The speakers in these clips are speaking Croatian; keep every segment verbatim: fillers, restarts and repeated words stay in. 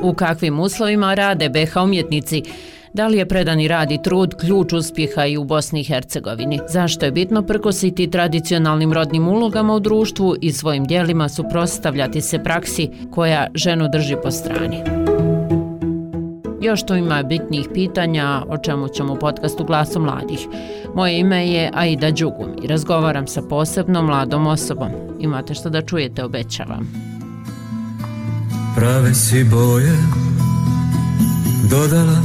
U kakvim uslovima rade be ha umjetnici? Da li je predani rad i trud ključ uspjeha i u Bosni i Hercegovini? Zašto je bitno prkositi tradicionalnim rodnim ulogama u društvu i svojim djelima suprotstavljati se praksi koja ženu drži po strani? Još tu ima bitnijih pitanja o čemu ćemo u podcastu Glasom mladih. Moje ime je Aida Đugum i razgovaram sa posebno mladom osobom. Imate što da čujete, obećavam. Prave si boje dodala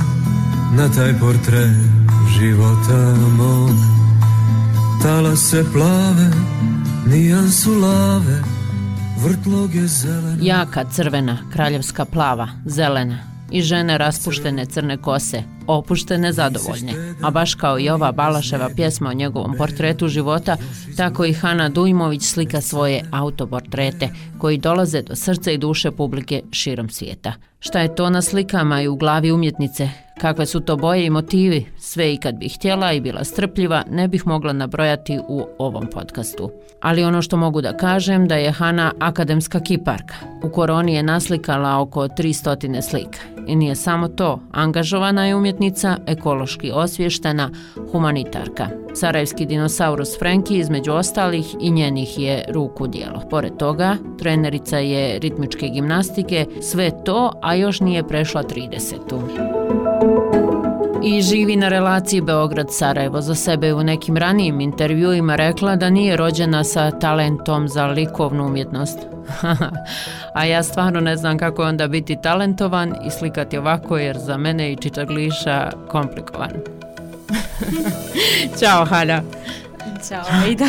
na taj portret života mog. Talase plave, nijansu lave, vrtlog je zelena. Jaka crvena, kraljevska plava, zelena i žene raspuštene crne kose, opuštene, zadovoljne. A baš kao i ova Balaševa pjesma o njegovom portretu života, tako i Hana Dujmović slika svoje autoportrete koji dolaze do srca i duše publike širom svijeta. Šta je to na slikama i u glavi umjetnice? Kakve su to boje i motivi? Sve i kad bih htjela i bila strpljiva, ne bih mogla nabrojati u ovom podcastu. Ali ono što mogu da kažem da je Hana akademska kiparka. U koroni je naslikala oko tristo slika. I nije samo to, angažovana je umjetnica, ekološki osviještena, humanitarka. Sarajevski dinosaurus Frenki između ostalih i njenih je ruku djelo. Pored toga, trenerica je ritmičke gimnastike, sve to, a još nije prešla tridesetu. I živi na relaciji Beograd-Sarajevo. Za sebe je u nekim ranijim intervjuima rekla da nije rođena sa talentom za likovnu umjetnost. A ja stvarno ne znam kako je onda biti talentovan i slikati ovako, jer za mene i čitagliša komplikovan. Ćao, Hana. Ćao, Aida.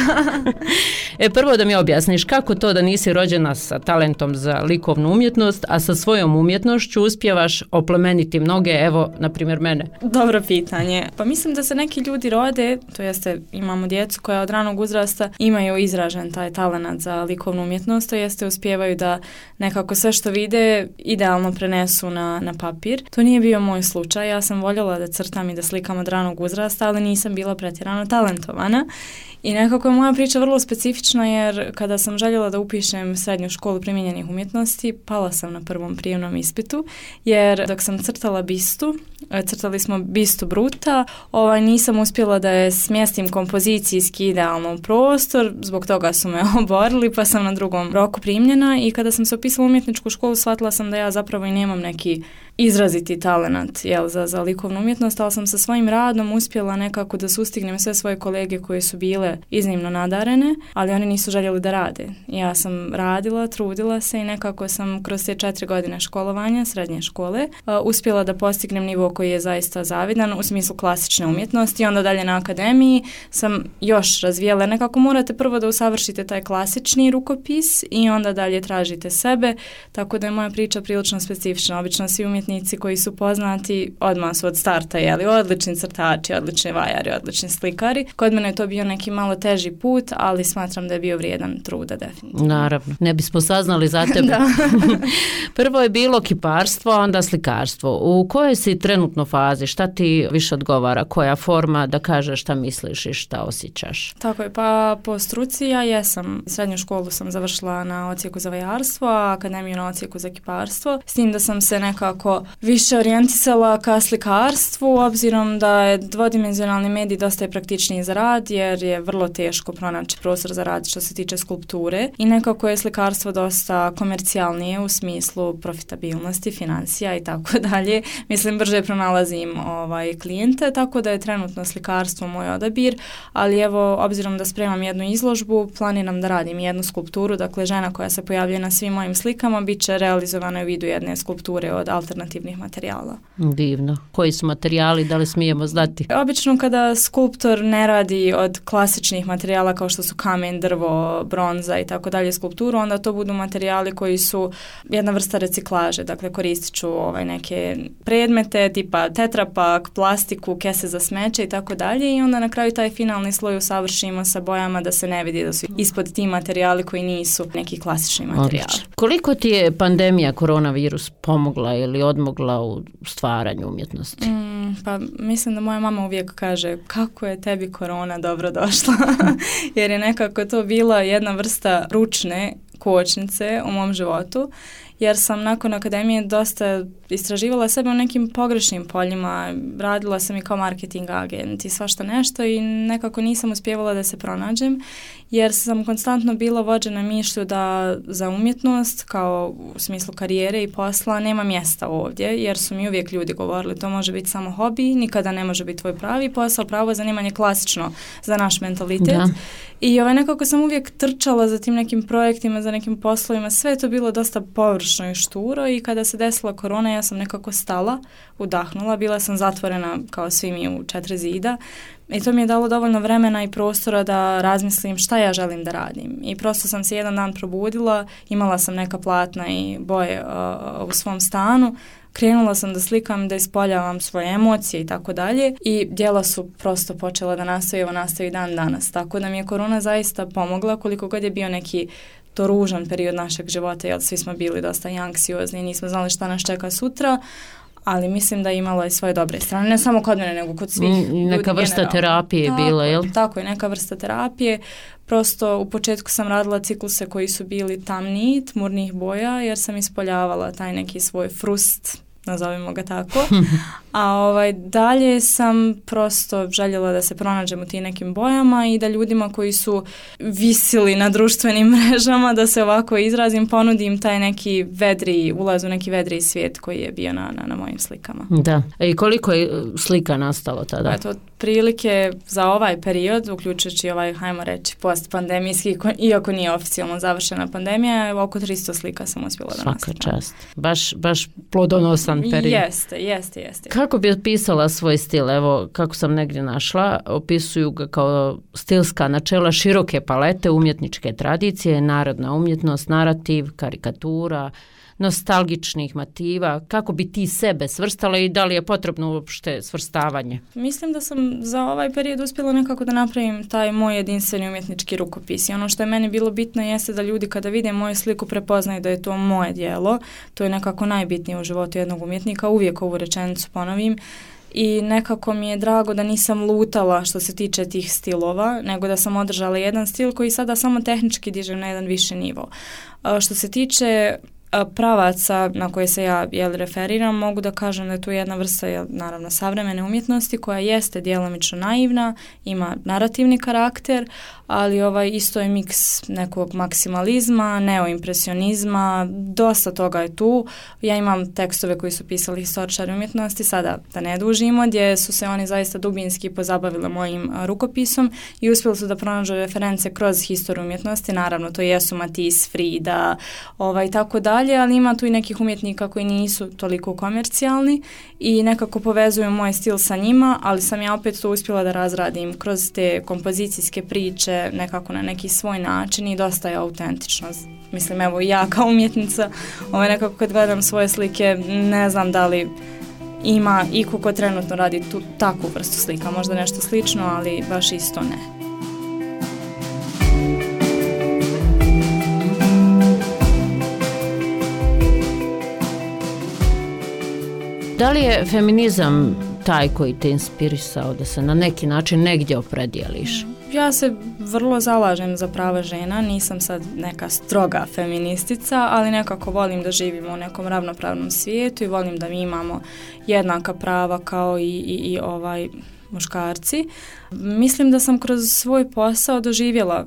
E, prvo da mi objasniš kako to da nisi rođena sa talentom za likovnu umjetnost, a sa svojom umjetnošću uspijevaš oplemeniti mnoge, evo, na primjer mene. Dobro pitanje. Pa mislim da se neki ljudi rode, to jeste imamo djecu koja od ranog uzrasta imaju izražen taj talent za likovnu umjetnost, to jeste uspijevaju da nekako sve što vide idealno prenesu na, na papir. To nije bio moj slučaj, ja sam voljela da crtam i da slikam od ranog uzrasta, ali nisam bila pretjerano talentovana. I nekako je moja priča vrlo specifična, jer kada sam željela da upišem srednju školu primijenjenih umjetnosti, pala sam na prvom prijemnom ispitu, jer dok sam crtala bistu, crtali smo bistu Bruta, ovaj, nisam uspjela da je smjestim kompozicijski idealno u prostor, zbog toga su me oborili, pa sam na drugom roku primljena i kada sam se upisala u umjetničku školu, shvatila sam da ja zapravo i nemam neki izraziti talent, jel, za, za likovnu umjetnost, ali sam sa svojim radom uspjela nekako da sustignem sve svoje kolege koje su bile iznimno nadarene, ali oni nisu željeli da rade. Ja sam radila, trudila se i nekako sam kroz te četiri godine školovanja, srednje škole, uh, uspjela da postignem nivo koji je zaista zavidan u smislu klasične umjetnosti i onda dalje na akademiji sam još razvijela. Nekako morate prvo da usavršite taj klasični rukopis i onda dalje tražite sebe, tako da je moja priča prilično specifična. Obično svi umjetnici koji su poznati odmah su od starta, jeli, odlični crtači, odlični vajari, odlični slikari. Kod mene je to bio neki malo teži put, ali smatram da je bio vrijedan truda, definitivno. Naravno, ne bismo saznali za tebe. Prvo je bilo kiparstvo, a onda slikarstvo. U kojoj si trenutno fazi? Šta ti više odgovara? Koja forma da kažeš šta misliš i šta osjećaš? Tako je, pa po struci ja jesam. Srednju školu sam završila na odsjeku za vajarstvo, a akademiju na odsjeku za kiparstvo. S tim da sam se nekako više orijentisala ka slikarstvu, obzirom da je dvodimenzionalni medij dosta je praktičniji za rad, jer je vrlo teško pronaći prostor za rad što se tiče skulpture i nekako je slikarstvo dosta komercijalnije u smislu profitabilnosti, financija i tako dalje. Mislim, brže pronalazim ovaj, klijente, tako da je trenutno slikarstvo moj odabir, ali evo, obzirom da spremam jednu izložbu, planiram da radim jednu skulpturu, dakle žena koja se pojavljuje na svim mojim slikama bit će realizovana u vidu jedne skulpture od alternativnih materijala. Divno. Koji su materijali, da li smijemo znati? Obično kada skulptor ne radi od klasičnih materijala kao što su kamen, drvo, bronza i tako dalje skulpturu, onda to budu materijali koji su jedna vrsta reciklaže, dakle koristit ću ovaj neke predmete tipa tetrapak, plastiku, kese za smeće i tako dalje i onda na kraju taj finalni sloj usavršimo sa bojama da se ne vidi da su ispod ti materijali koji nisu neki klasični materijali. Odlično. Koliko ti je pandemija koronavirus pomogla ili odmogla u stvaranju umjetnosti? Mm, pa mislim da moja mama uvijek kaže kako je tebi korona dobro došla jer je nekako to bila jedna vrsta ručne kočnice u mom životu jer sam nakon akademije dosta istraživala sebe u nekim pogrešnim poljima, radila sam i kao marketing agent i svašta nešto i nekako nisam uspjevala da se pronađem, jer sam konstantno bila vođena mišlju da za umjetnost, kao u smislu karijere i posla, nema mjesta ovdje, jer su mi uvijek ljudi govorili to može biti samo hobi, nikada ne može biti tvoj pravi posao, pravo zanimanje klasično za naš mentalitet. Da. I ovaj, nekako sam uvijek trčala za tim nekim projektima, za nekim poslovima, sve je to bilo dosta površno i šturo i kada se desila korona ja sam nekako stala, udahnula, bila sam zatvorena kao svi mi u četiri zida i to mi je dalo dovoljno vremena i prostora da razmislim šta ja želim da radim. I prosto sam se jedan dan probudila, imala sam neka platna i boje uh, u svom stanu, krenula sam da slikam, da ispoljavam svoje emocije i tako dalje i djela su prosto počela da nastaju, evo nastavi dan danas. Tako da mi je korona zaista pomogla, koliko god je bio neki to ružan period našeg života, jer svi smo bili dosta anksiozni i nismo znali šta nas čeka sutra, ali mislim da je imala i svoje dobre strane, ne samo kod mene, nego kod svih ljudi. Neka vrsta generalno. Terapije je bila, jel? Tako je, neka vrsta terapije. Prosto u početku sam radila cikluse koji su bili tamniji, tmurnih boja, jer sam ispoljavala taj neki svoj frust, nazovimo ga tako, a ovaj, dalje sam prosto željela da se pronađem u tim nekim bojama i da ljudima koji su visili na društvenim mrežama, da se ovako izrazim, ponudim taj neki vedri, ulaz u neki vedri svijet koji je bio na, na, na mojim slikama. Da, i koliko je slika nastalo tada? Eto, prilike za ovaj period, uključujući ovaj, hajmo reći, post-pandemijski, iako nije oficijalno završena pandemija, oko tristo slika sam uspjela da nastavim. Svaka čast. Baš, baš plodonosan period. Jeste, jeste, jeste. Kako bi opisala svoj stil? Evo, kako sam negdje našla, opisuju ga kao stilska načela široke palete umjetničke tradicije, narodna umjetnost, narativ, karikatura, nostalgičnih motiva. Kako bi ti sebe svrstala i da li je potrebno uopšte svrstavanje? Mislim da sam za ovaj period uspjela nekako da napravim taj moj jedinstveni umjetnički rukopis. I ono što je meni bilo bitno jeste da ljudi kada vide moju sliku prepoznaju da je to moje djelo. To je nekako najbitnije u životu jednog umjetnika. Uvijek ovu rečenicu ponovim. I nekako mi je drago da nisam lutala što se tiče tih stilova, nego da sam održala jedan stil koji sada samo tehnički dižem na jedan viši nivo. Što se tiče pravaca na koje se ja jel, referiram, mogu da kažem da je tu jedna vrsta jel, naravno savremene umjetnosti koja jeste djelomično naivna, ima narativni karakter, ali ovaj isto je miks nekog maksimalizma, neoimpresionizma, dosta toga je tu. Ja imam tekstove koji su pisali historičari umjetnosti, sada da ne dužimo, gdje su se oni zaista dubinski pozabavili mojim rukopisom i uspjeli su da pronađu reference kroz historiju umjetnosti, naravno to jesu Matisse, Frida, ovaj, tako dalje, ali ima tu i nekih umjetnika koji nisu toliko komercijalni i nekako povezuju moj stil sa njima, ali sam ja opet to uspjela da razradim kroz te kompozicijske priče, nekako na neki svoj način i dosta je autentično. Mislim, evo ja kao umjetnica, ovaj, nekako kad gledam svoje slike, ne znam da li ima iko ko trenutno radi tu takvu vrstu slika, možda nešto slično, ali baš isto ne. Da li je feminizam taj koji te inspirisao da se na neki način negdje opredijeliš? Ja se vrlo zalažem za prava žena, nisam sad neka stroga feministica, ali nekako volim da živimo u nekom ravnopravnom svijetu i volim da mi imamo jednaka prava kao i, i, i ovaj muškarci. Mislim da sam kroz svoj posao doživjela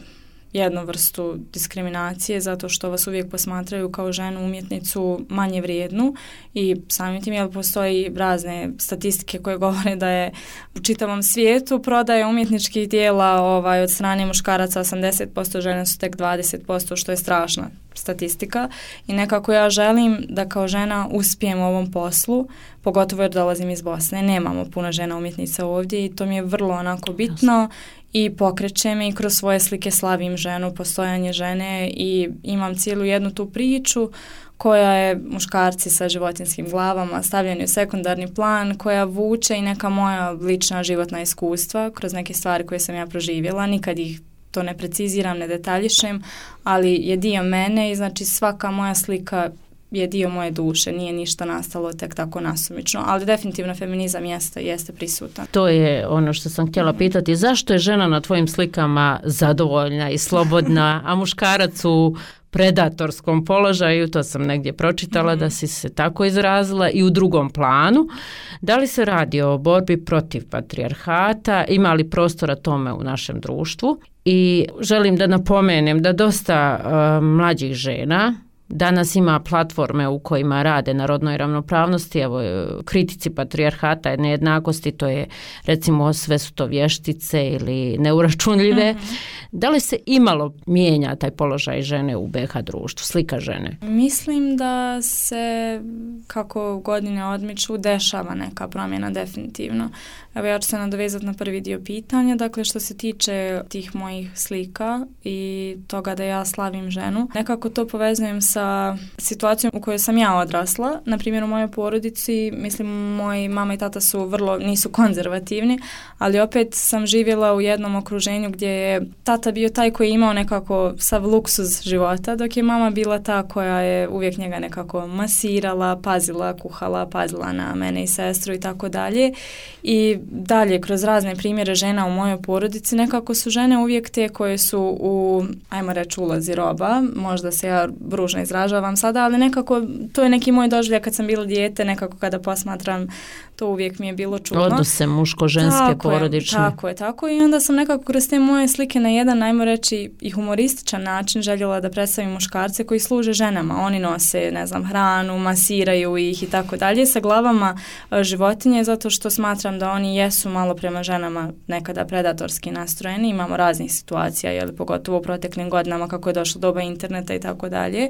jednu vrstu diskriminacije zato što vas uvijek posmatraju kao ženu umjetnicu manje vrijednu i samim tim jel postoji razne statistike koje govore da je u čitavom svijetu prodaje umjetničkih dijela ovaj, od strane muškaraca osamdeset posto, žene su tek dvadeset posto, što je strašna statistika i nekako ja želim da kao žena uspijem u ovom poslu, pogotovo jer dolazim iz Bosne, nemamo puno žena umjetnica ovdje i to mi je vrlo onako bitno i pokreće me i kroz svoje slike slavim ženu, postojanje žene i imam cijelu jednu tu priču koja je muškarci sa životinjskim glavama stavljeni u sekundarni plan, koja vuče i neka moja lična životna iskustva kroz neke stvari koje sam ja proživjela, nikad ih to ne preciziram, ne detaljišem, ali je dio mene i znači svaka moja slika je dio moje duše, nije ništa nastalo tek tako nasumično, ali definitivno feminizam jeste, jeste prisutan. To je ono što sam htjela pitati, zašto je žena na tvojim slikama zadovoljna i slobodna, a muškarac u predatorskom položaju, to sam negdje pročitala mm-hmm. da si se tako izrazila, i u drugom planu. Da li se radi o borbi protiv patrijarhata, ima li prostora tome u našem društvu? I želim da napomenem da dosta uh, mlađih žena danas ima platforme u kojima rade na rodnoj ravnopravnosti, evo kritici patrijarhata i nejednakosti, to je recimo sve su to vještice ili neuračunljive. Mm-hmm. Da li se imalo mijenja taj položaj žene u be ha društvu, slika žene? Mislim da se kako godine odmiču dešava neka promjena definitivno. Evo ja ću se nadovezati na prvi dio pitanja, dakle što se tiče tih mojih slika i toga da ja slavim ženu, nekako to povezujem sa situacijom u kojoj sam ja odrasla. Na primjer u mojoj porodici, mislim moji mama i tata su vrlo, nisu konzervativni, ali opet sam živjela u jednom okruženju gdje je tata bio taj koji je imao nekako sav luksuz života, dok je mama bila ta koja je uvijek njega nekako masirala, pazila, kuhala, pazila na mene i sestru i tako dalje. I dalje, kroz razne primjere žena u mojoj porodici, nekako su žene uvijek te koje su u, ajmo reći, ulozi roba, možda se ja ružno izražavam sada, ali nekako to je neki moj doživljaj kad sam bila dijete, nekako kada posmatram, to uvijek mi je bilo čudno. Odnose muško-ženske, tako porodične. Je, tako je, tako i onda sam nekako kroz te moje slike na jedan, ajmo reći, i humorističan način željela da predstavim muškarce koji služe ženama. Oni nose, ne znam, hranu, masiraju ih i tako dalje sa glavama životinje, zato što smatram da oni jesu malo prema ženama nekada predatorski nastrojeni. Imamo raznih situacija, jel, pogotovo u proteklim godinama kako je došlo doba interneta i tako dalje.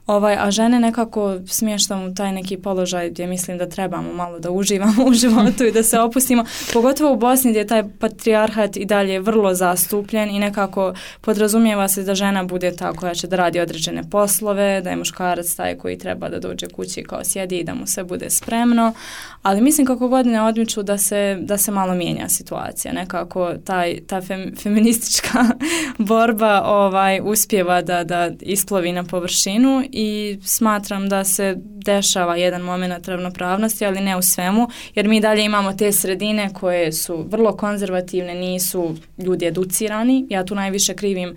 Ovaj, a žene nekako smještam u taj neki položaj gdje mislim da trebamo malo da uživamo u životu i da se opustimo. Pogotovo u Bosni gdje je taj patrijarhat i dalje vrlo zastupljen i nekako podrazumijeva se da žena bude ta koja će da radi određene poslove, da je muškarac taj koji treba da dođe kući kao sjedi i da mu sve bude spremno. Ali mislim kako godine odmiču da se, da se malo mijenja situacija. Nekako taj, ta fem, feministička borba ovaj, uspijeva da, da isplovi na površinu i smatram da se dešava jedan moment ravnopravnosti, ali ne u svemu, jer mi dalje imamo te sredine koje su vrlo konzervativne, nisu ljudi educirani. Ja tu najviše krivim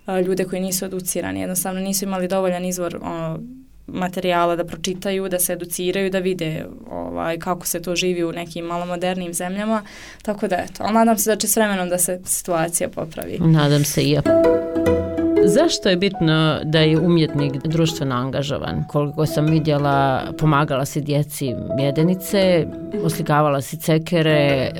uh, ljude koji nisu educirani, jednostavno nisu imali dovoljan izvor uh, materijala da pročitaju, da se educiraju, da vide ovaj, kako se to živi u nekim malo modernijim zemljama. Tako da eto, ali nadam se da će s vremenom da se situacija popravi. Nadam se i ja. Zašto je bitno da je umjetnik društveno angažovan? Koliko sam vidjela, pomagala si djeci mjedenice, oslikavala si cekere,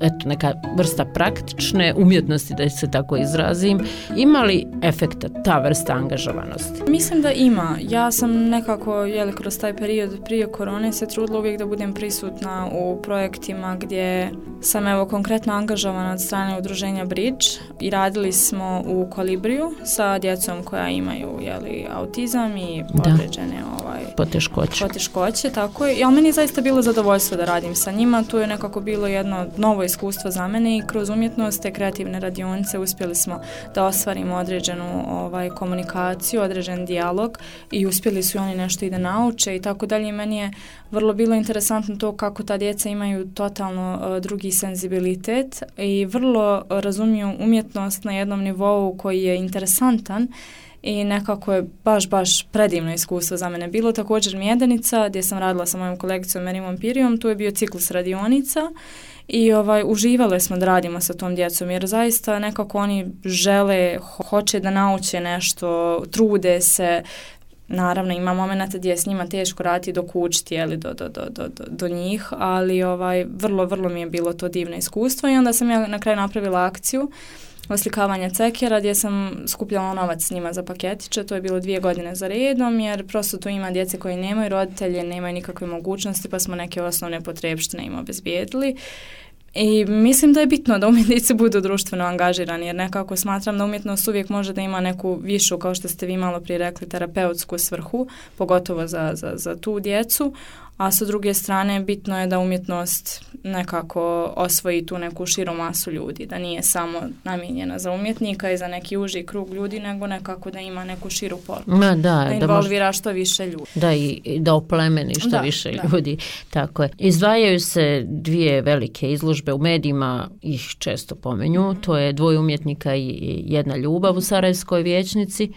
eto, neka vrsta praktične umjetnosti, da se tako izrazim. Ima li efekta ta vrsta angažovanosti? Mislim da ima. Ja sam nekako, jeli, kroz taj period prije korone se trudila uvijek da budem prisutna u projektima gdje sam evo konkretno angažovana od strane udruženja Bridge i radili smo u Kolibriju sa djecom koja imaju, jeli, autizam i određene ovaj, poteškoće. poteškoće, tako je. I ali meni je zaista bilo zadovoljstvo da radim sa njima. To je nekako bilo jedno novo iskustvo za mene i kroz umjetnost te kreativne radionice uspjeli smo da ostvarimo određenu ovaj, komunikaciju, određen dijalog i uspjeli su oni nešto i da nauče i tako dalje. Meni je vrlo bilo interesantno to kako ta djeca imaju totalno uh, drugi senzibilitet i vrlo razumiju umjetnost na jednom nivou koji je interesantan i nekako je baš, baš predivno iskustvo za mene. Bilo također mjedenica gdje sam radila sa mojom kolegicom Merimom Pirijom, tu je bio ciklus radionica i ovaj, uživale smo da radimo sa tom djecom jer zaista nekako oni žele, hoće da nauče nešto, trude se. Naravno ima momenata gdje je s njima teško raditi dok učiti jeli, do, do, do, do, do njih, ali ovaj, vrlo, vrlo mi je bilo to divno iskustvo i onda sam ja na kraju napravila akciju oslikavanja cekera gdje sam skupljala novac s njima za paketiće. To je bilo dvije godine za redom jer prosto tu ima djece koji nemaju roditelje, nemaju nikakve mogućnosti pa smo neke osnovne potrebštine im obezbijedili. I mislim da je bitno da umjetnici budu društveno angažirani jer nekako smatram da umjetnost uvijek može da ima neku višu, kao što ste vi malo prije rekli, terapeutsku svrhu, pogotovo za, za, za tu djecu, a sa druge strane bitno je da umjetnost nekako osvoji tu neku širu masu ljudi, da nije samo namijenjena za umjetnika i za neki uži krug ljudi, nego nekako da ima neku širu poruku. Ma da, da involvira da što više ljudi. Da, i da oplemeni što da, više da. ljudi. Tako je. Izdvajaju se dvije velike izložbe u medijima, ih često pomenju, mm-hmm. to je Dvoje umjetnika i Jedna ljubav u Sarajevskoj vijećnici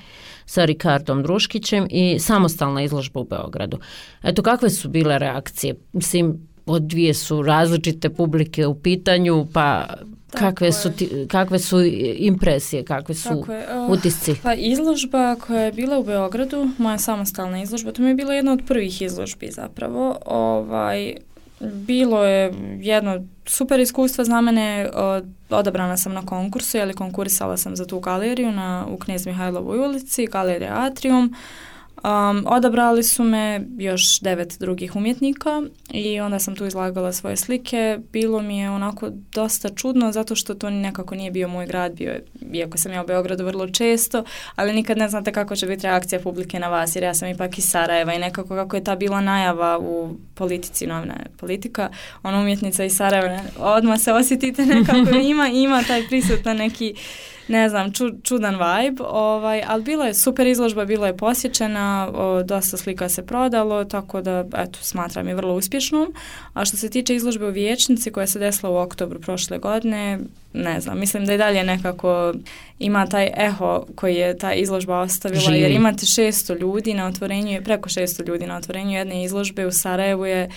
sa Rikardom Druškićem i samostalna izložba u Beogradu. Eto, kakve su bile reakcije? Mislim, od dvije su različite publike u pitanju, pa kakve su, ti, kakve su impresije, kakve su uh, utisci? Pa izložba koja je bila u Beogradu, moja samostalna izložba, to mi je bila jedna od prvih izložbi zapravo. Ovaj, bilo je jedno super iskustvo za mene, odabrana sam na konkursu, jer konkurisala sam za tu galeriju na, u Knez Mihajlovoj ulici, galerija Atrium. Um, odabrali su me još devet drugih umjetnika i onda sam tu izlagala svoje slike. Bilo mi je onako dosta čudno zato što to nekako nije bio moj grad, bio je, iako sam ja u Beogradu vrlo često, ali nikad ne znate kako će biti reakcija publike na vas, jer ja sam ipak iz Sarajeva i nekako kako je ta bila najava u politici, novina politika, ona umjetnica iz Sarajeva, odmah se osjetite nekako, ima, ima taj prisutan neki, ne znam, ču, čudan vibe, ovaj, ali bila je super izložba, bila je posjećena, o, dosta slika se prodalo, tako da, eto, smatram je vrlo uspješnom. A što se tiče izložbe u Vijećnici koja se desila u oktobru prošle godine, ne znam, mislim da i dalje nekako ima taj eho koji je ta izložba ostavila, Živi. Jer imate šesto ljudi na otvorenju, preko šesto ljudi na otvorenju jedne izložbe u Sarajevu je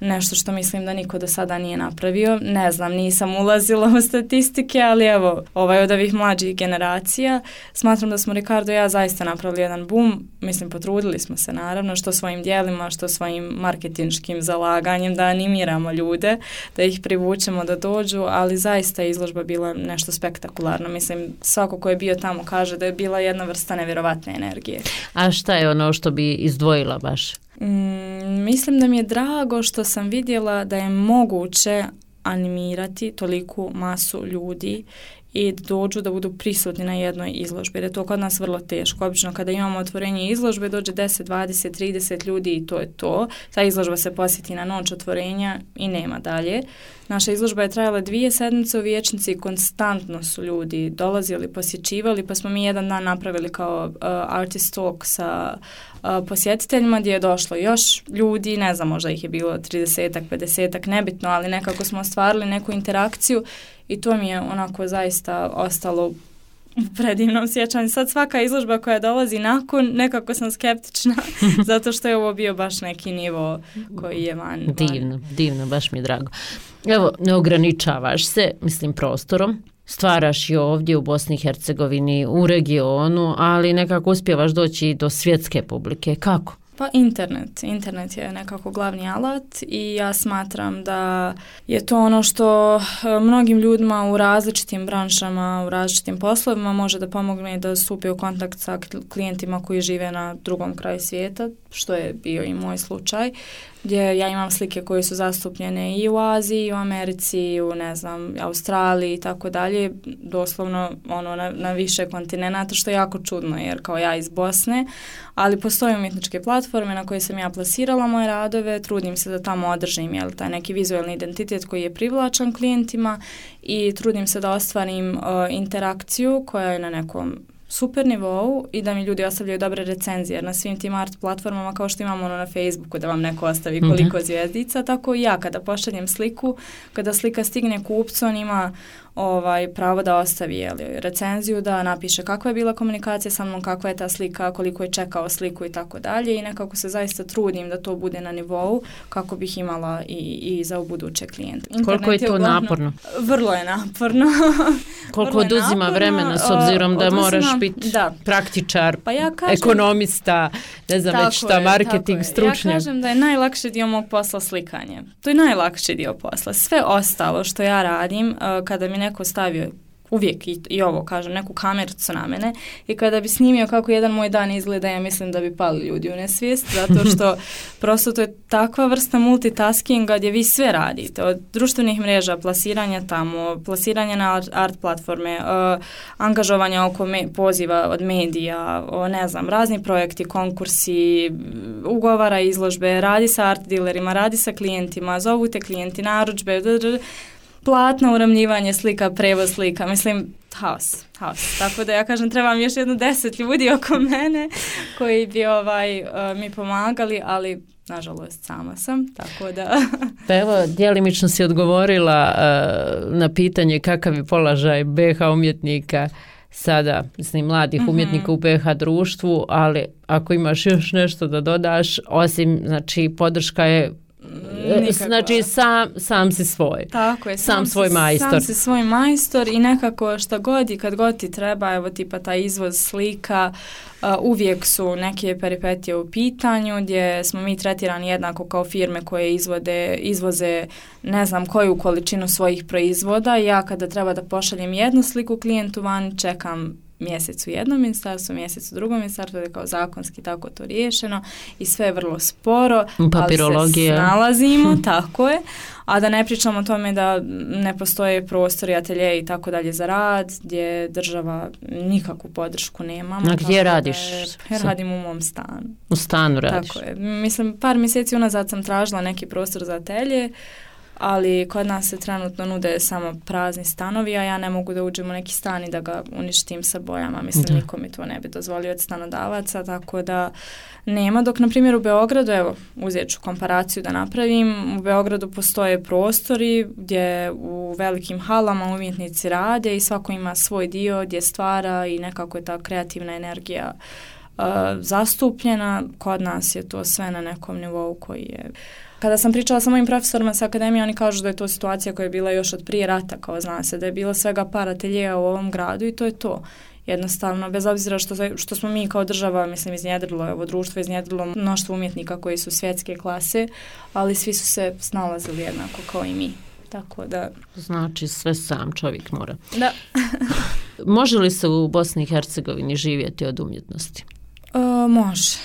nešto što mislim da niko do sada nije napravio. Ne znam, nisam ulazila u statistike, ali evo, ovaj od ovih mlađih generacija, smatram da smo Ricardo i ja zaista napravili jedan boom. Mislim, potrudili smo se naravno, što svojim dijelima, što svojim marketinškim zalaganjem da animiramo ljude, da ih privučemo da dođu, ali zaista je izložba bila nešto spektakularno. Mislim, svako ko je bio tamo kaže da je bila jedna vrsta nevjerovatne energije. A šta je ono što bi izdvojila baš? Mm, mislim da mi je drago što sam vidjela da je moguće animirati toliku masu ljudi i dođu da budu prisutni na jednoj izložbi, jer je to kod nas vrlo teško. Obično kada imamo otvorenje izložbe dođe deset, dvadeset, trideset ljudi i to je to. Ta izložba se posjeti na noć otvorenja i nema dalje. Naša izložba je trajala dvije sedmice u Vijećnici i konstantno su ljudi dolazili, posjećivali, pa smo mi jedan dan napravili kao uh, artist talk sa uh, posjetiteljima gdje je došlo još ljudi, ne znam, možda ih je bilo tridesetak, pedesetak, nebitno, ali nekako smo ostvarili neku interakciju i to mi je onako zaista ostalo u predivnom sjećanju. Sad svaka izložba koja dolazi nakon, nekako sam skeptična, zato što je ovo bio baš neki nivo koji je van. Divno, van. divno, baš mi je drago. Evo, ne ograničavaš se, mislim, prostorom. Stvaraš i ovdje u Bosni i Hercegovini, u regionu, ali nekako uspijevaš doći do svjetske publike. Kako? Pa internet. Internet je nekako glavni alat i ja smatram da je to ono što mnogim ljudima u različitim branšama, u različitim poslovima može da pomogne da stupe u kontakt sa klijentima koji žive na drugom kraju svijeta, što je bio i moj slučaj, gdje ja imam slike koje su zastupljene i u Aziji, i u Americi, i u, ne znam, Australiji i tako dalje, doslovno ono na, na više kontinenata, što je jako čudno, jer kao ja iz Bosne, ali postoje umjetničke platforme na koje sam ja plasirala moje radove, trudim se da tamo održim jel, taj neki vizualni identitet koji je privlačan klijentima i trudim se da ostvarim uh, interakciju koja je na nekom super nivou i da mi ljudi ostavljaju dobre recenzije, jer na svim tim art platformama kao što imamo ono na Facebooku da vam neko ostavi koliko mm-hmm. zvjezdica, tako i ja kada pošaljem sliku, kada slika stigne kupcu, on ima ovaj, pravo da ostavi jeli, recenziju, da napiše kakva je bila komunikacija sa mnom, kakva je ta slika, koliko je čekao sliku i tako dalje i nekako se zaista trudim da to bude na nivou kako bih imala i, i za buduće klijente. Internet koliko je to je uglavnom, naporno? Vrlo je naporno. Koliko vrlo oduzima naporno, vremena s obzirom da oduzima, moraš biti da. praktičar, pa ja kažem, ekonomista, ne znam već šta, marketing, stručnjak. Ja kažem da je najlakši dio mog posla slikanje. To je najlakši dio posla. Sve ostalo što ja radim, kada mi neko stavio uvijek i, i ovo kažem, neku kamericu na mene i kada bi snimio kako jedan moj dan izgleda, ja mislim da bi pali ljudi u nesvijest, zato što prosto to je takva vrsta multitaskinga gdje vi sve radite, od društvenih mreža, plasiranja tamo, plasiranja na art, art platforme, uh, angažovanja oko me, poziva od medija, o, ne znam, razni projekti, konkursi, ugovara izložbe, radi sa art dealerima, radi sa klijentima, zovu te klijenti, narudžbe, d, d, d, platno uramljivanje slika, prevoz slika, mislim, haos, haos. Tako da ja kažem, trebam još jedno deset ljudi oko mene koji bi ovaj, uh, mi pomagali, ali nažalost sama sam, tako da... Pa evo, djelimično si odgovorila uh, na pitanje kakav je položaj be ha umjetnika sada, mislim, mladih mm-hmm. umjetnika u be ha društvu, ali ako imaš još nešto da dodaš, osim, znači, podrška je Nikakva. Znači sam, sam si svoj. Tako je. Sam, sam svoj si, majstor. Sam si svoj majstor i nekako šta god i kad god ti treba, evo tipa taj izvoz slika, uh, uvijek su neke peripetije u pitanju gdje smo mi tretirani jednako kao firme koje izvode, izvoze ne znam koju količinu svojih proizvoda. Ja kada treba da pošaljem jednu sliku klijentu van, čekam mjesec u jednom ministarstvu, mjesec u drugom ministarstvu, da je kao zakonski tako to riješeno i sve je vrlo sporo, ali se snalazimo, tako je, a da ne pričamo o tome da ne postoje prostori, atelje i tako dalje za rad, gdje država nikakvu podršku nema. A gdje radiš? Ja radim u mom stanu. U stanu radiš? Tako je. Mislim, par mjeseci unazad sam tražila neki prostor za atelje, ali kod nas se trenutno nude samo prazni stanovi, a ja ne mogu da uđem u neki stan i da ga uništim sa bojama. Mislim, da. Niko mi to ne bi dozvolio od stanodavaca, tako da nema. Dok, na primjer, u Beogradu, evo, uzet ću komparaciju da napravim, u Beogradu postoje prostori gdje u velikim halama umjetnici rade i svako ima svoj dio gdje stvara i nekako je ta kreativna energija uh, zastupljena. Kod nas je to sve na nekom nivou koji je... Kada sam pričala sa mojim profesorima sa akademije, oni kažu da je to situacija koja je bila još od prije rata, kao zna se, da je bilo svega par ateljeja u ovom gradu i to je to. Jednostavno, bez obzira što, što smo mi kao država, mislim, iznjedrilo, ovo društvo iznjedrilo mnoštvo umjetnika koji su svjetske klase, ali svi su se snalazili jednako kao i mi. Tako da... Znači, sve sam čovjek mora. Da. Može li se u Bosni i Hercegovini živjeti od umjetnosti? O, može,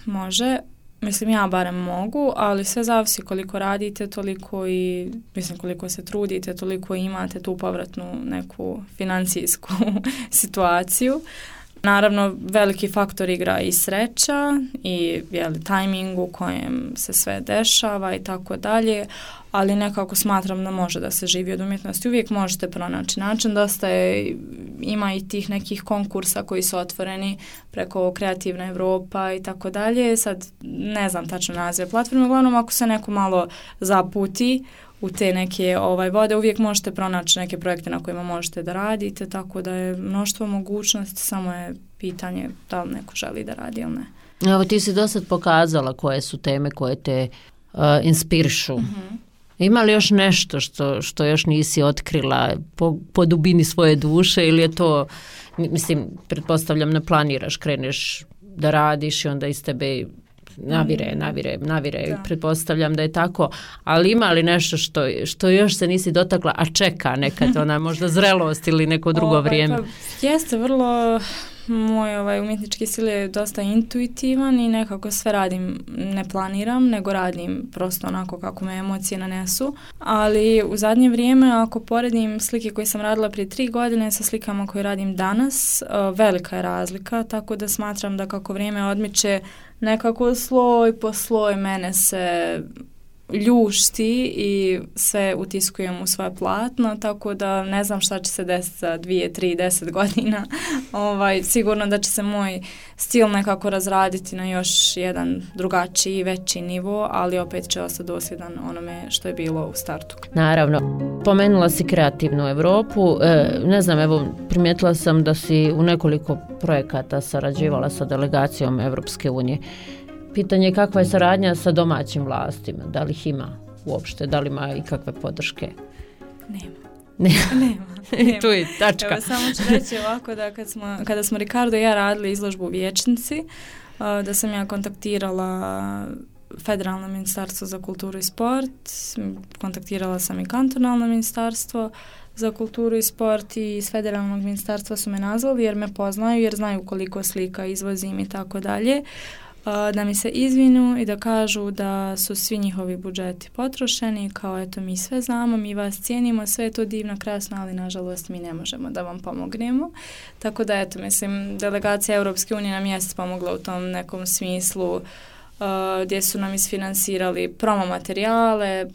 može. Mislim, ja barem mogu, ali sve zavisi koliko radite, toliko i, mislim, koliko se trudite, toliko imate tu povratnu neku financijsku situaciju. Naravno, veliki faktor igra i sreća i jeli, tajming u kojem se sve dešava i tako dalje, ali nekako smatram da može da se živi od umjetnosti. Uvijek možete pronaći način, dosta je, ima i tih nekih konkursa koji su otvoreni preko Kreativna Evropa i tako dalje. Sad ne znam tačno nazive platforme, uglavnom ako se neko malo zaputi u te neke ovaj vode, uvijek možete pronaći neke projekte na kojima možete da radite, tako da je mnoštvo mogućnosti, samo je pitanje da li neko želi da radi ili ne. Evo, ti si do sad pokazala koje su teme koje te uh, inspirišu. Mm-hmm. Ima li još nešto što, što još nisi otkrila po, po dubini svoje duše ili je to, mislim, pretpostavljam ne planiraš, kreneš da radiš i onda iz tebe navire, navire, navire, da. Pretpostavljam da je tako, ali ima li nešto što, što još se nisi dotakla, a čeka nekad ona možda zrelost ili neko drugo ovaj, vrijeme? Pa, jeste vrlo, moj ovaj, umjetnički stil je dosta intuitivan i nekako sve radim, ne planiram, nego radim prosto onako kako me emocije nanesu, ali u zadnje vrijeme ako poredim slike koje sam radila prije tri godine sa slikama koje radim danas, velika je razlika, tako da smatram da kako vrijeme odmiče nekako sloj po sloj mene se ljušti i sve utiskujem u svoje platno, tako da ne znam šta će se desiti za dvije, tri, deset godina. Ovaj, sigurno da će se moj stil nekako razraditi na još jedan drugačiji, veći nivo, ali opet će ostati dosljedan onome što je bilo u startu. Naravno. Pomenula si Kreativnu Evropu. E, ne znam, evo, primijetila sam da si u nekoliko projekata sarađivala sa delegacijom Evropske unije. Pitanje je kakva je saradnja sa domaćim vlastima, da li ih ima uopšte, da li ima i kakve podrške? Nema. Nema. Nema. Nema. Tu je tačka. Evo, samo ću reći ovako da kad smo, kada smo Ricardo i ja radili izložbu u Vijećnici, da sam ja kontaktirala Federalno ministarstvo za kulturu i sport, kontaktirala sam i kantonalno ministarstvo za kulturu i sport i iz federalnog ministarstva su me nazvali jer me poznaju, jer znaju koliko slika izvozim i tako dalje, da mi se izvinu i da kažu da su svi njihovi budžeti potrošeni, kao eto mi sve znamo, mi vas cijenimo, sve je to divno, krasno, ali nažalost mi ne možemo da vam pomognemo. Tako da eto, mislim, delegacija Europske unije nam jest pomogla u tom nekom smislu, Uh, gdje su nam isfinansirali promo materijale,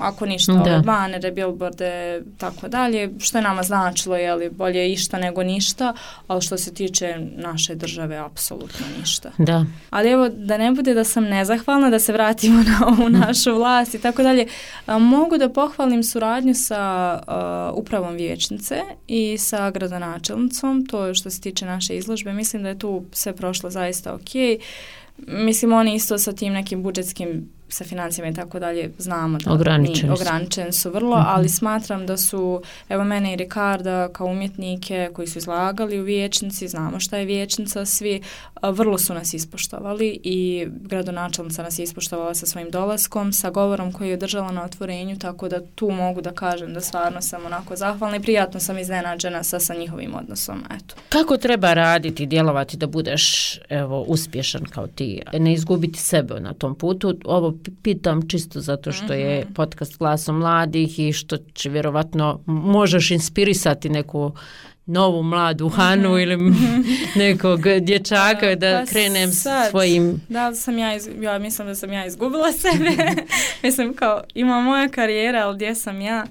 ako ništa, ove banere, billboarde, tako dalje, što je nama značilo, je li bolje išta nego ništa, ali što se tiče naše države, apsolutno ništa. Da. Ali evo, da ne bude da sam nezahvalna, da se vratimo na ovu našu vlast i tako dalje, uh, mogu da pohvalim suradnju sa uh, upravom vijećnice i sa gradonačelnicom, to je što se tiče naše izložbe, mislim da je tu sve prošlo zaista okej. Mislim, oni isto sa tim nekim budžetskim, sa financijama i tako dalje, znamo da ograničeni, ograničeni su vrlo, mm-hmm. ali smatram da su, evo mene i Ricarda kao umjetnike koji su izlagali u vijećnici, znamo šta je vijećnica, svi vrlo su nas ispoštovali i gradonačelnica nas je ispoštovala sa svojim dolaskom, sa govorom koji je održala na otvorenju, tako da tu mogu da kažem da stvarno sam onako zahvalna i prijatno sam iznenađena sa, sa njihovim odnosom. Eto. Kako treba raditi i djelovati da budeš evo, uspješan kao ti, ne izgubiti sebe na tom putu? Ovo pitam čisto zato što je mm-hmm. podcast Glasom mladih i što će vjerovatno možeš inspirisati neku novu mladu Hanu mm-hmm. ili nekog dječaka da pa krenem sad, svojim... Da li sam ja, iz, ja mislim da sam ja izgubila sebe. Mislim kao ima moja karijera, ali gdje sam ja?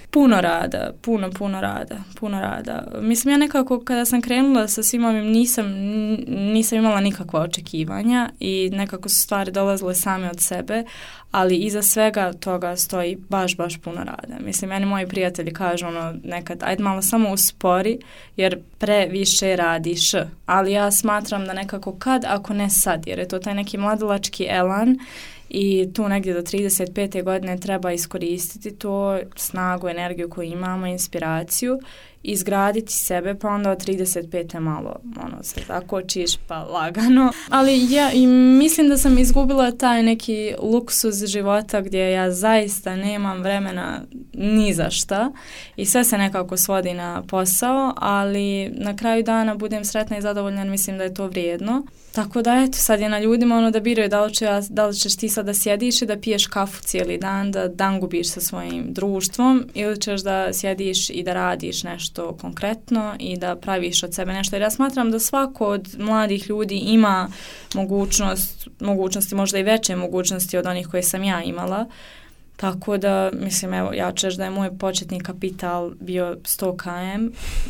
Puno rada, puno, puno rada, puno rada. Mislim, ja nekako kada sam krenula sa svim ovim nisam, nisam imala nikakva očekivanja i nekako su stvari dolazile same od sebe, ali iza svega toga stoji baš, baš puno rada. Mislim, meni moji prijatelji kažu ono nekad, ajde malo samo uspori jer previše radiš, ali ja smatram da nekako kad, ako ne sad, jer je to taj neki mladalački elan i tu negdje do trideset pete godine treba iskoristiti to snagu, energiju koju imamo, inspiraciju, izgraditi sebe, pa onda od trideset pete malo ono, se zakočiš pa lagano. Ali ja i mislim da sam izgubila taj neki luksuz života gdje ja zaista nemam vremena ni za šta i sve se nekako svodi na posao, ali na kraju dana budem sretna i zadovoljna, mislim da je to vrijedno. Tako da eto, sad je na ljudima ono da biraju da li, će, da li ćeš ti sad da sjediš i da piješ kafu cijeli dan, da dan gubiš sa svojim društvom ili ćeš da sjediš i da radiš nešto konkretno i da praviš od sebe nešto. Jer ja smatram da svako od mladih ljudi ima mogućnost, mogućnosti, možda i veće mogućnosti od onih koje sam ja imala. Tako da, mislim, evo, ja ću reći da je moj početni kapital bio sto kilometara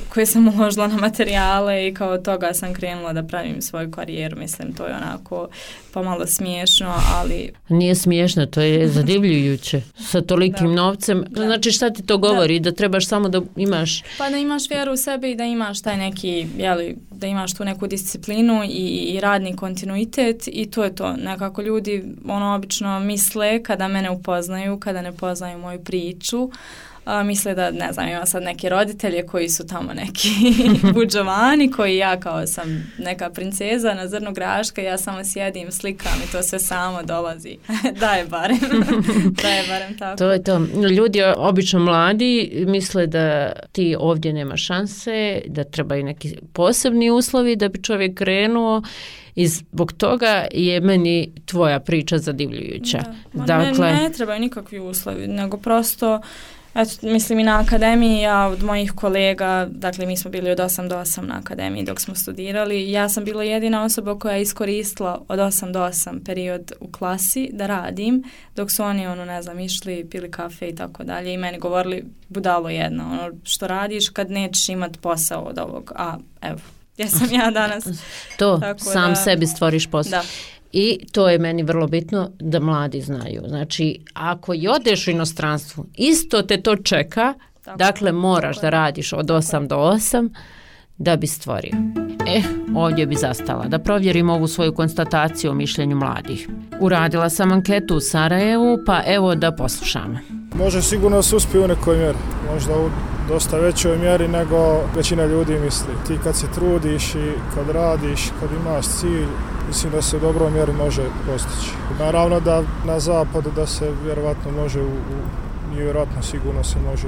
koje sam uložila na materijale i kao toga sam krenula da pravim svoju karijeru. Mislim, to je onako pomalo smiješno, ali... Nije smiješno, to je zadivljujuće sa tolikim da. novcem. Da. Znači, šta ti to govori? Da. da trebaš samo da imaš... Pa da imaš vjeru u sebe i da imaš taj neki, jeli, da imaš tu neku disciplinu i, i radni kontinuitet i to je to. Nekako ljudi ono obično misle kada mene upoznaju, kada ne poznaju moju priču, a, misle da, ne znam, ima sad neke roditelje koji su tamo neki budžovani, koji ja kao sam neka princeza na zrnu graška, ja samo sjedim, slikam i to sve samo dolazi. Da je barem. Da je barem tako. To je to. Ljudi obično mladi misle da ti ovdje nema šanse, da trebaju neki posebni uslovi da bi čovjek krenuo. I zbog toga je meni tvoja priča zadivljujuća. Da. Dakle, ne, ne trebaju nikakvi uslovi, nego prosto, eto, mislim i na akademiji, ja od mojih kolega, dakle mi smo bili od osam do osam na akademiji dok smo studirali, ja sam bila jedina osoba koja je iskoristila od osam do osam period u klasi da radim, dok su oni, ono, ne znam, išli, pili kafe i tako dalje i meni govorili, budalo jedno, ono, što radiš kad nećeš imat posao od ovog, a evo. Ja sam ja danas. To, sam da, sebi stvoriš posao. Da. I to je meni vrlo bitno da mladi znaju. Znači, ako i odeš u inostranstvu, isto te to čeka, tako, dakle moraš tako da radiš od osam do osam da bi stvorio. E, ovdje bi zastala da provjerim ovu svoju konstataciju o mišljenju mladih. Uradila sam anketu u Sarajevu, pa evo da poslušamo. Može sigurno se uspije u nekoj mjeri, možda u dosta većoj mjeri nego većina ljudi misli. Ti kad se trudiš i kad radiš, kad imaš cilj, mislim da se u dobroj mjeri može postići. Naravno da na zapadu da se vjerovatno može, u, u, vjerovatno sigurno se može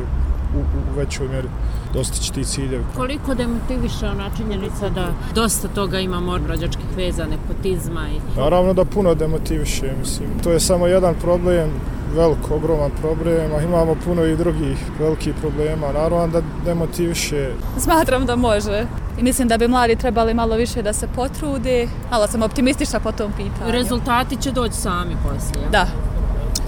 u, u većoj mjeri dostići ti ciljevi. Koliko demotiviše ona činjenica da dosta toga imamo rođačkih veza, nepotizma? I... Naravno da puno demotiviše, mislim. To je samo jedan problem, velik, ogroman problem, a imamo puno i drugih velikih problema. Naravno da demotiviše. Smatram da može. I mislim da bi mladi trebali malo više da se potrude, ali sam optimistična po tom pitanju. Rezultati će doći sami poslije. Da.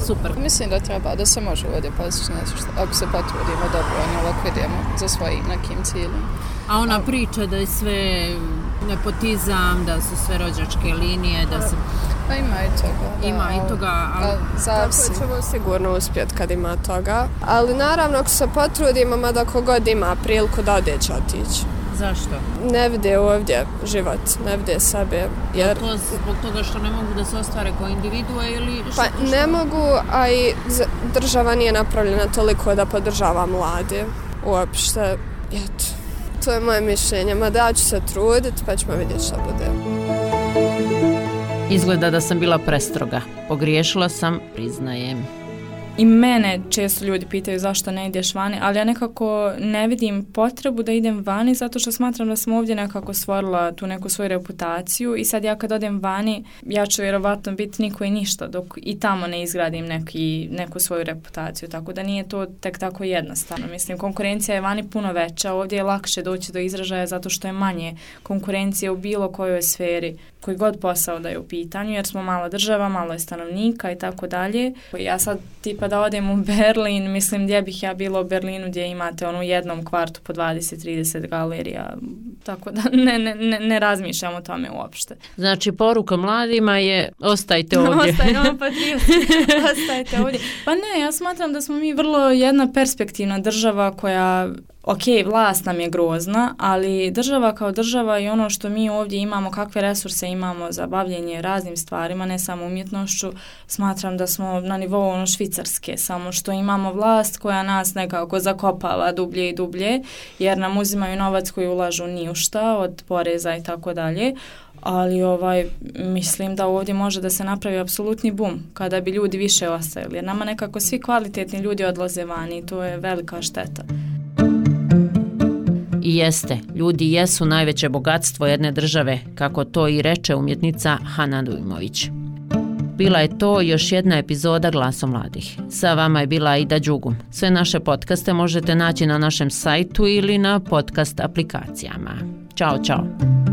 Super. Mislim da treba, da se može ovdje postići nešto, ako se potrudimo dobro, ne ovako idemo za svojim nekim ciljem. A ona priča da je sve nepotizam, da su sve rođačke linije, da se... Pa ima i toga. Da, ima i toga, ali... Tako ćemo sigurno uspjeti kad ima toga. Ali naravno, ako se potrudimo, mada kogod ima priliku da ode će otići. Zašto? Ne vide ovdje život, ne vide sebe. Jer... To zbog toga što ne mogu da se ostvare kao individue ili... Pa ne mogu, a i država nije napravljena toliko da podržava mlade. Uopšte, eto, to je moje mišljenje. Mada ja ću se truditi, pa ćemo vidjeti što bude. Izgleda da sam bila prestroga. Pogriješila sam, priznajem. I mene često ljudi pitaju zašto ne ideš vani, ali ja nekako ne vidim potrebu da idem vani zato što smatram da sam ovdje nekako stvorila tu neku svoju reputaciju i sad ja kad odem vani, ja ću vjerovatno biti niko i ništa dok i tamo ne izgradim neki, neku svoju reputaciju, tako da nije to tek tako jednostavno. Mislim, konkurencija je vani puno veća, ovdje je lakše doći do izražaja zato što je manje konkurencije u bilo kojoj sferi, koji god posao da je u pitanju, jer smo mala država, malo je stanovnika i tako dalje. Ja sad tipa da odem u Berlin, mislim gdje bih ja bila u Berlinu gdje imate ono u jednom kvartu po dvadeset trideset galerija, tako da ne, ne, ne, ne razmišljam o tome uopšte. Znači poruka mladima je ostajte ovdje. Ostajte, ono ostajte ovdje. Pa ne, ja smatram da smo mi vrlo jedna perspektivna država koja... Ok, vlast nam je grozna, ali država kao država i ono što mi ovdje imamo, kakve resurse imamo za bavljenje raznim stvarima, ne samo umjetnošću, smatram da smo na nivou ono Švicarske, samo što imamo vlast koja nas nekako zakopava dublje i dublje, jer nam uzimaju novac koji ulažu ni u šta, od poreza i tako dalje. Ali ovaj, mislim da ovdje može da se napravi apsolutni bum kada bi ljudi više ostajali, jer nama nekako svi kvalitetni ljudi odlaze vani i to je velika šteta. I jeste, ljudi jesu najveće bogatstvo jedne države, kako to i reče umjetnica Hana Dujmović. Bila je to još jedna epizoda Glasa mladih. Sa vama je bila Aida Đugum. Sve naše podcaste možete naći na našem sajtu ili na podcast aplikacijama. Ćao, čao!